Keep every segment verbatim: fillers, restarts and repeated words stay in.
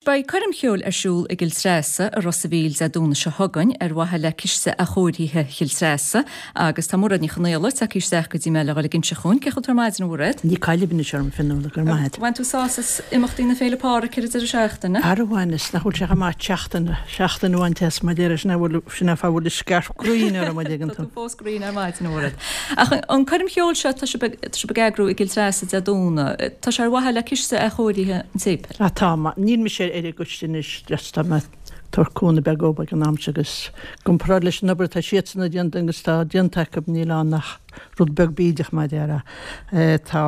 Beidh coirm cheoil ar siúl i gCill Treasa i Ros a' Mhíl Dé Domhnaigh seo chugainn ar mhaithe le Ciste Athchóirithe Chill Treasa agus tá Mairéad Ní Chonaola tagtha isteach go dtí mé le dhul ag inse dhúinn. Cén chaoi a bhfuil tú ar maidin, a Mhairéad? Ní caillim anois orm Fionnuala, go raibh maith agat. Bhain tú sásamh as imeachtaí na Féile Pádraig ar an deireadh seachtaine? Ara bhaineas, nach bhfuil sé chomh maith seachtain, seachtain a bhaint as mar deir sin a bhfuil, sin an fáth a bhfuil scairp grinn orm an dtuigeann tú. Tá tú fós grinn ar maidin, a Mhairéad. Ach an coirm cheoil seo tá sibh ag, tá sibh ag eagrú i gCill Treasa Dé Domhnaigh, tá sé ar mhaithe le Ciste Athchóirithe an tSéipéil? Ah tá, níl mise ar an gcoiste anois, just tá mé ag tabhairt cúnamh beag dhóibh ag an am seo agus i gcomparáid leis an obair atá siadsan a déanamh agus tá déanta acu níl ann ach rud beag bídeach mar a déarfá. Tá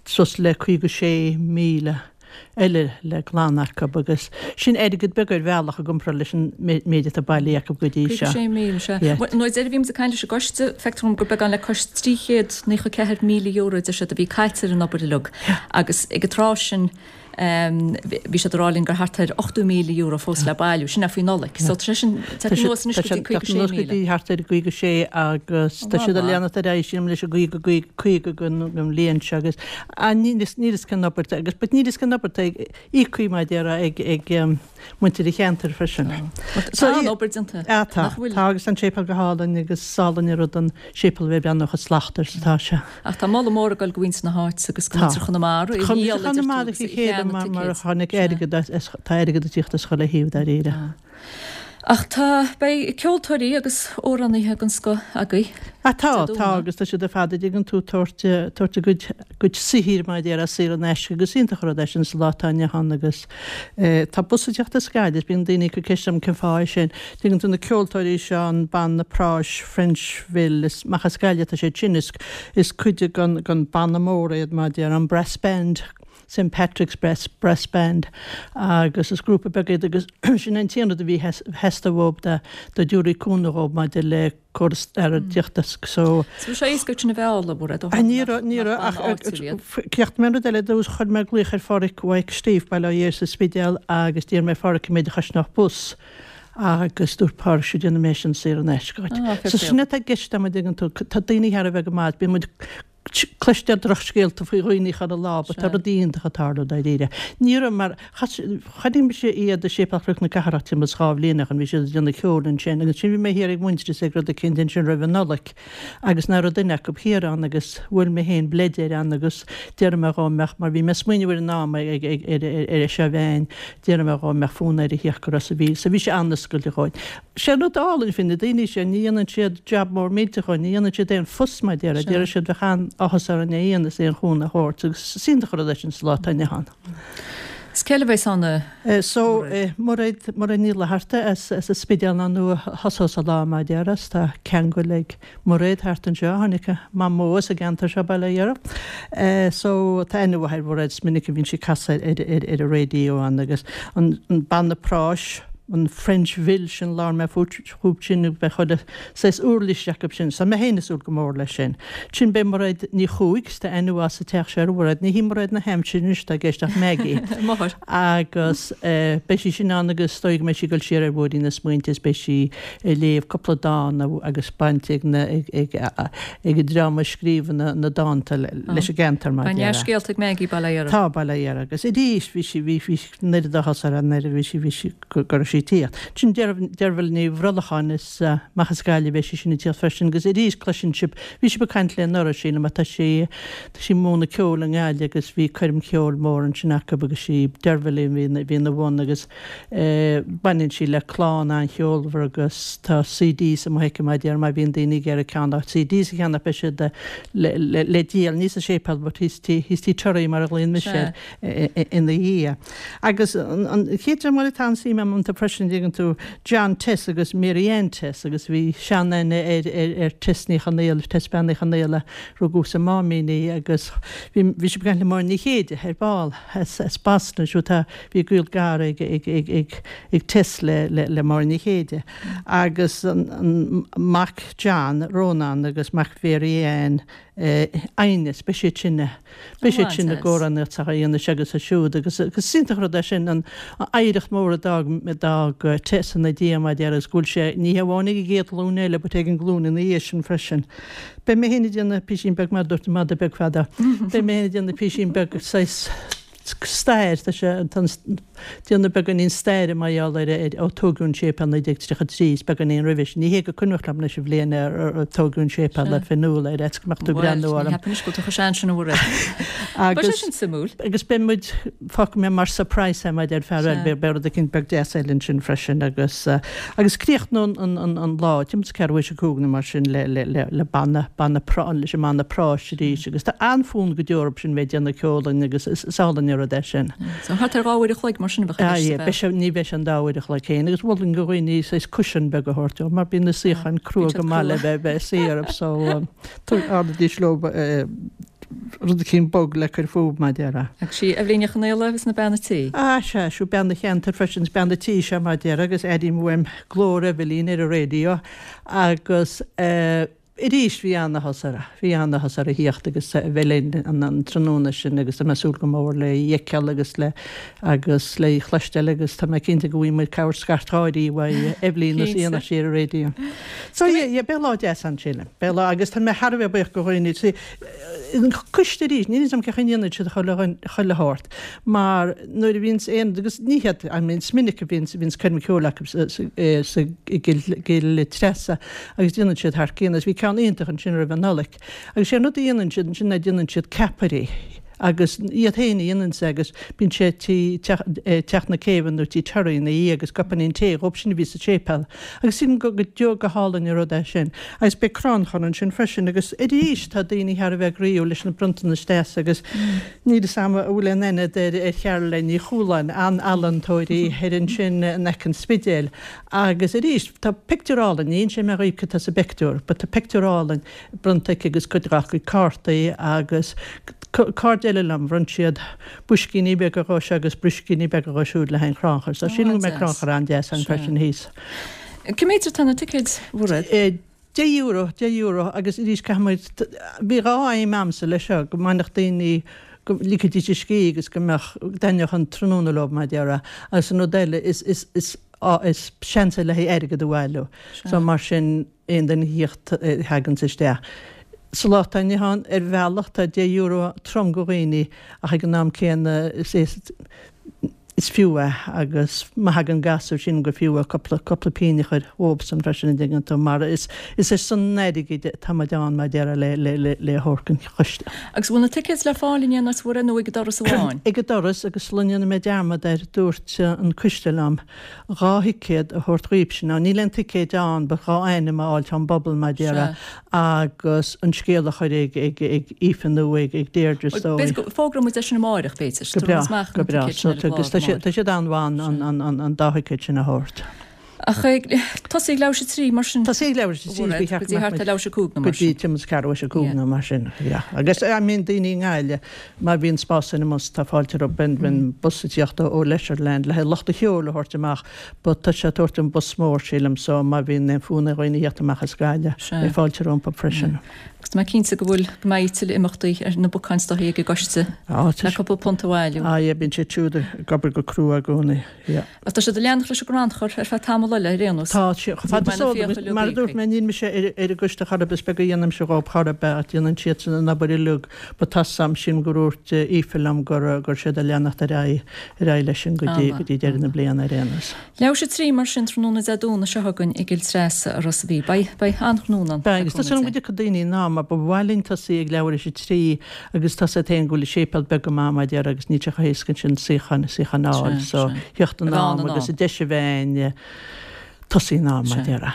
suas le caoga sé míle eile le glanadh acu agus sin airgead beag ar bhealach i gcomparáid leis an méid atá bailithe acu go dtí seo. Caoga sé míle, sea. Bhuel, nuair a bhí muid ag caint leis an gcoiste, feictear dom gur beagán le cois trí chéad naocha ceathair míle euro a deir siad a bhí caite ar an obair uilig agus ag an tráth sin bhí siad ag rá linn gur thart ar ochtó míle euro fós le bailiú, sin é faoi Nollaig. So tá sé sin teacht anuas anois go dtí caoga sé míle. Go dtí thart ar caoga sé agus tá siad ag leanacht ar aghaidh sílim leis an gcaoga caoga don bhliain seo agus níl a fhios cén obair agus but níl a fhios cén obair atá íoctha mar a déarfá ag ag muintir an cheantair freisin. Tá an obair déanta. Ah tá, tá agus tá an séipéal go hálainn agus is álainn an rud an séipéal a bheith ag breathnú chomh slachtmhar is atá sé. Ach tá moladh mór ag dul go mhuintir na háite agus go muintir Chonamara a dhíol idir tú agus a chéile mar mar a tháinig airgead as tá airgead ag tíocht as chuile thaobh dáiríre. Ach tá, beidh ceoltóirí agus amhránaithe den scoth agaibh Ah tá, tá agus tá siad ar fad a dtuigeann tú tabhairt tabhairt a gcuid gcuid saothair mar a déarfá saor in aisce agus iontach an rud é sin sa lá atá inniu ann agus tá bus ag teacht as Gaillimh is bíonn daoine ag cur ceist orm cén fáth é sin. Tuigeann tú na ceoltóirí seo an banna práis Frenchville is amach as Gaillimh atá siad sin is is cuid den den banna mór iad mar a déarfá an brass band Saint Patrick's Brass Brass Band agus is grúpa beag iad agus sin an t-aon rud a bhí theastaigh uathu dá dá dtabharfaí cúnamh dhóibh maidir le córas airgeadta so So bhí sé éasca sin a bheith á labhairt ó ní raibh ní raibh ach ceacht mé an rud eile dús chuir mé glaoch ar Pháraic Mhaidhc Steve Baile Átha Fhirdh sa Spidéal agus d'iarr mé ar Pháraic an méid a chosnódh bus agus dúirt Páraic sure déanfaidh mé sin saor in aisce dhuit. Ah, fair So sin atá i gceist an dtuigeann tú tá daoine thar a bheith go maith bíonn muid cloistear drochscéalta faoi dhaoine chuile lá but tá rudaí iontacha ag tarlú dáiríre. Ní raibh mar chonaic mise iad i Séipéal Chnoc na Cathrach timpeall is dhá bhliain ó shin, bhí siad ag déanamh ceoil ansin agus ansin bhí mé thiar ag Muintearas ag rud eicínt ansin roimh an Nollaig agus nach raibh duine acu thiar ann agus bhuail mé féin bleid air ann agus d'iarr mé dhó an mbeadh mar bhí mé ag smaoineamh ar an am ag ag ar ar seo bheinn d'iarr mé dhó an mbeadh fonn air a theacht go Ros a' Mhíl so bhí sé an-oscailte dhóinn. Sé an rud álainn faoi na daoine sin, ní dhéanann siad jab mór millteach dhóinn, ní dhéanann siad aon fuss mar a déarfá, déarfaidh siad bheadh an-áthas orainn é a dhéanamh is aon chúnamh a thabhairt agus is iontach an rud é sin sa lá atá inniu ann. Is cé eile a bheas ann a So, Mairéad, Mairéad Ní Fhlatharta as as an Spidéal ná nuair a thosós an lá mar a déarfá, is tá ceangal ag Mairéad thart anseo, tháinig a mamó as an gceantar seo, Baile Átha Fhirdh. So, tá aithne mhaith ar Mhairéad, is minic a bhíonn sí ag casadh ar ar ar an raidió ann agus an an banna práis, an Frenchville sin, labhair mé fúthu sin agus beidh chuile saghas uirlis acu sin. So mé féin ag súil go mór leis sin. Ansin beidh Mairéad Ní Chuaig, tá aithne mhaith sa teach seo ar Mhairéad, ní hí Mairéad na haimsire anois atá i gceist ach Maggie. Máthair. Agus beidh sí sin ann agus is dóigh go mbeidh sí ag dul siar ar bhóithrín na smaointe is beidh sí ag léamh cúpla dán agus baint ag na ag ag ag an dream a scríobh na na dánta leis an gceantar mar Tá dea-scéalta ag Maggie Baile Átha Fhirdh. Tá Baile Átha Fhirdh agus arís bhí sí bhí bhí an oiread áthas orm nuair a bhí sí bhí sí go raibh sí ag tíocht. Ansin Deirbhile Ní Bhrollacháin is amach as Gaillimh a bheidh sí sin ag tíocht freisin agus arís cloiseann sibh bhí sibh ag caint léi anuraidh sílim ach tá sí tá sí ag múineadh ceoil i nGaillimh agus bhí coirm cheoil mór ansin acu agus sí Deirbhile a bhí a bhí ina bhun agus baineann sí le clann an-cheolmhar agus tá CDs amuigh aici mar a déarfá má bhíonn daoine ag iarraidh ceann dá CDs a cheannach beidh siad le le le díol ní sa séipéal but thíos tí thíos tí Toraí mar a ghlaonn mise air ina dhiaidh. Agus an chéad dream eile atá an-suim agam iontu freisin, dtuigeann tú, John Tess agus Mary Ann Tess agus bhí seanaithne ar ar Tess Ní Chonaola, Tess Bean Uí Chonaola, rugadh sa Máimín í agus bhí bhí sí ag caint le Máire Ní Chéide ar ball as as Boston siúd tá bhí gaol gar ag ag ag ag ag Tess le le le Máire Ní Chéide. Agus an an mac John, Rónán agus mac Mhary Ann aighneas, beidh siad sin, beidh siad sin ag amhránaíocht a dhéanamh seo agus siúd agus is iontach an rud é sin an oidhreacht mór a d'fhág, a d'fhág Tess ina diaidh mar a déarfá agus go bhfuil sé ní hamháin ag an gcéad ghlúin eile but ag an nglúin ina dhiaidh sin freisin. Beidh mé féin ag déanamh písín beag mar a dúirt an madadh beag fada, beidh mé féin ag déanamh písín beag saghas, stair, tá sé, tá an, déanamh beagáinín staire mar gheall ar, ar, ó tógadh an séipéal naoi déag tríocha trí, is beagáinín roimhe sin. Ní hé gur cuimhneach liom anois an bhliain ar, ar, ar tógadh an séipéal le Fionnuala ar fhaitíos go mbeadh tú ag Bhuel, breathnú ní orm. cheapaim anois go bhfuil tú chomh sean sin a Mhairéad. Beidh sé Agus, sin suimiúil. agus beidh muid, fágfaidh mé mar surprise é mar a deir fear eile, Sea. beidh, beidh rud eicínt beag deas eile ansin freisin agus, agus críochnóidh an, an, an lá, timpeall is ceathrú théis a cúig nó mar sin le, le, le, le banna, banna prá, leis an mbanna práis arís agus tá an-fhonn go deo orthu sin bheith ag déanamh ceoil linn agus is, is álainn an rud é sin. So thart ar dhá uair a chloig mar sin a bheadh i Ah, gceist yeah, a beidh bheith. sé, ní bheidh sé an dá uair a chloig féin agus mholfainn do dhaoine saghas cushion beag a thabhairt leo mar bíonn na suíocháin crua Bíonn siad go maith le crua. bheith bheith suí orthu so um, ardaidís leo eh, rud eicínt bog le cur fúthu mar a déarfá. Agus sí Eibhlín Ní Chonaola agus na bean a' tí. Ah, sea, siú bean an cheantair freisin, is bean a' tí seo mar a déarfá agus airím uaim glór Eibhlín ar an raidió agus eh, arís bhí an-áthas uirthi, bhí an-áthas uirthi theacht agus a bheith linn an, an tráthnóna sin agus tá mé ag súil go mór le í a fheiceáil agus le agus le í chloisteáil agus tá mé cinnte go bhfaighidh muid cabhair scairt gháirí uaidh Eibhlín is Cinnte. aon sí ar an raidió. So yeah, yeah, beidh lá deas ann sílim. Beidh lá agus tá mé thar a bheith buíoch go dhaoine. See, an coiste arís, níl a fhios agam cén chaoi a ndéanann siad chuile chuile shórt, mar nuair a bhíonns aon, agus ní hiad, I mean, is minic a bhíonns, bhíonns coirm ceoil acu sa, sa, eh, sa i gCill, gCill Treasa agus déanann siad thar cionn, agus bhí ceann iontach ansin roimh an Nollaig. Agus sé an rud a dhéanann siad ansin ná déanann siad ceapairí agus iad féin a dhéanann sé agus bíonn sé tí teach, eh, teach na céibhe nó tí Terry ina dhiaidh agus cupáinín tae dhóibh sin a bhí sa séipéal. Agus sílim go go deo go hálainn an rud é sin. Agus beidh crannchur ansin freisin agus arís tá daoine thar a bheith groíúil leis na bronntanais deasa agus níl a fhios agam an bhfuil aon aithne ar ar Charoline Ní Chualáin, an-ealaíontóir í ar ansin in aice an Spidéil. Agus arís tá pictiúr álainn, ní inseoidh mé dhaoibh cad tá sa bpictiúr, but tá pictiúr álainn bronnta aici agus cuid dá cuid cártaí agus cairde eile liom, bhronn siad boiscíní beaga dhó seo agus boiscíní beaga dhó siúd le haghaidh an chrannchuir. So Ó, sílim go mbeidh an-deas. crannchur an-deas ann Sea. freisin thíos. Cé mhéad atá na ticéid, Mhairéad? Eh, Deich euro, deich euro agus arís caithfidh muid, bhí dhá aidhm a'msa leis seo, go mbainfeadh daoine go ligfidís a scíth agus go mbeadh dtaitneodh an tráthnóna leo mar a déarfá agus an rud eile is is is á is seans é le haghaidh airgead a bhailiú. So mar sin aon duine a thíocht a thaganns isteach. Sa lá atá inniu ann ar bhealach tá deich euro trom go dhaoine ach ag an am céanna is is is fiú é agus má thagann gasúir sin gur fiú é cúpla cúpla pingin a chur dhóibhsan freisin an dtuigeann tú mar is is ar son an airgid atá muid ann mar a déarfá le le le le thabhairt don choiste. Agus bhfuil na ticéid le fáil in aon áit Mhairéad nó ag an doras amháin? Ag an doras agus sula ndéanfaidh mé dearmad air dúirt an coiste liom dhá thicéad a thabhairt dhaoibhse. Now níl aon ticéid ann but dhá ainm a fháil ón bpobal mar a déarfá Sea. agus an scéal a chur ag ag ag Aoife nó ag ag Deirdre is dóigh. B'fhéidir go bhfógróidh muid é sin amárach b'fhéidir. Go breá, Tabharfaidh muid amach go na breá. ticéid So sin ar an agus gclár tá sé amárach. tá siad an-mhaith an an an an dá thicéad sin a thabhairt. Ach tosaí ag leathuair théis a trí mar sin. Tosaí ag leathuair théis a trí Mhairéad, go dtí thart ar leathuair théis a cúig nó go mar dtí sin. timpeall is ceathrú théis a cúig Yeah. nó mar sin. Yeah. Agus I mean daoine i nGaillimh má bhíonn spás ina mbus tá fáilte rompu ben ben bus ag tíocht ó Leisureland le haghaidh lucht an cheoil a thabhairt amach, but tá sé ag tabhairt an bus mór sílim so má bhíonn aon fhonn ar dhaoine theacht amach as Gaillimh Sea. beidh fáilte rompu freisin. Agus tá mé cinnte go bhfuil go mbeidh tuilleadh imeachtaí ar na bacáin stothaí ag an gcoiste Ah, tá le sé- cúpla punt a bhailiú. Ah, yeah, bíonn siad siúd ag obair go crua i gcónaí. Yeah. Ach tá siad ag leanacht leis an gcrannchur ar feadh tamall eile ar aon nós. Tá sé chomh fada mbeidh na is fiacha eol mar a uilig dúirt mé níl mise ar ar an gcoiste chor ar bith is beag a dhéanaimse dhóibh chor ar bith ach déanann siad sin an obair uilig ba tá sam sin gur dúirt Aoife liom gur gur siad ag leanacht ar aghaidh ar aghaidh leis sin go dtí Ah, go dtí deireadh na bliana ar aon nós. Leathuair théis a trí mar sin tráthnóna Dé Domhnaigh seo chugainn i gCill Treasa a Ros a' Mhíl. Beidh beidh an-tráthnóna ann. Beidh, agus tá sin go dtiocfaidh daoine ná mar ba mhaith linn tosaí ag leathuair théis a trí agus tá sé féin go bhfuil séipéal beag go maith mar déarfá agus níl sé chomh héasca sin suíochán suíochán a fháil Sea, so sea. theacht an A bheith am ann in agus am. a deis a bheith tosaí in am mar Sea. déarfá.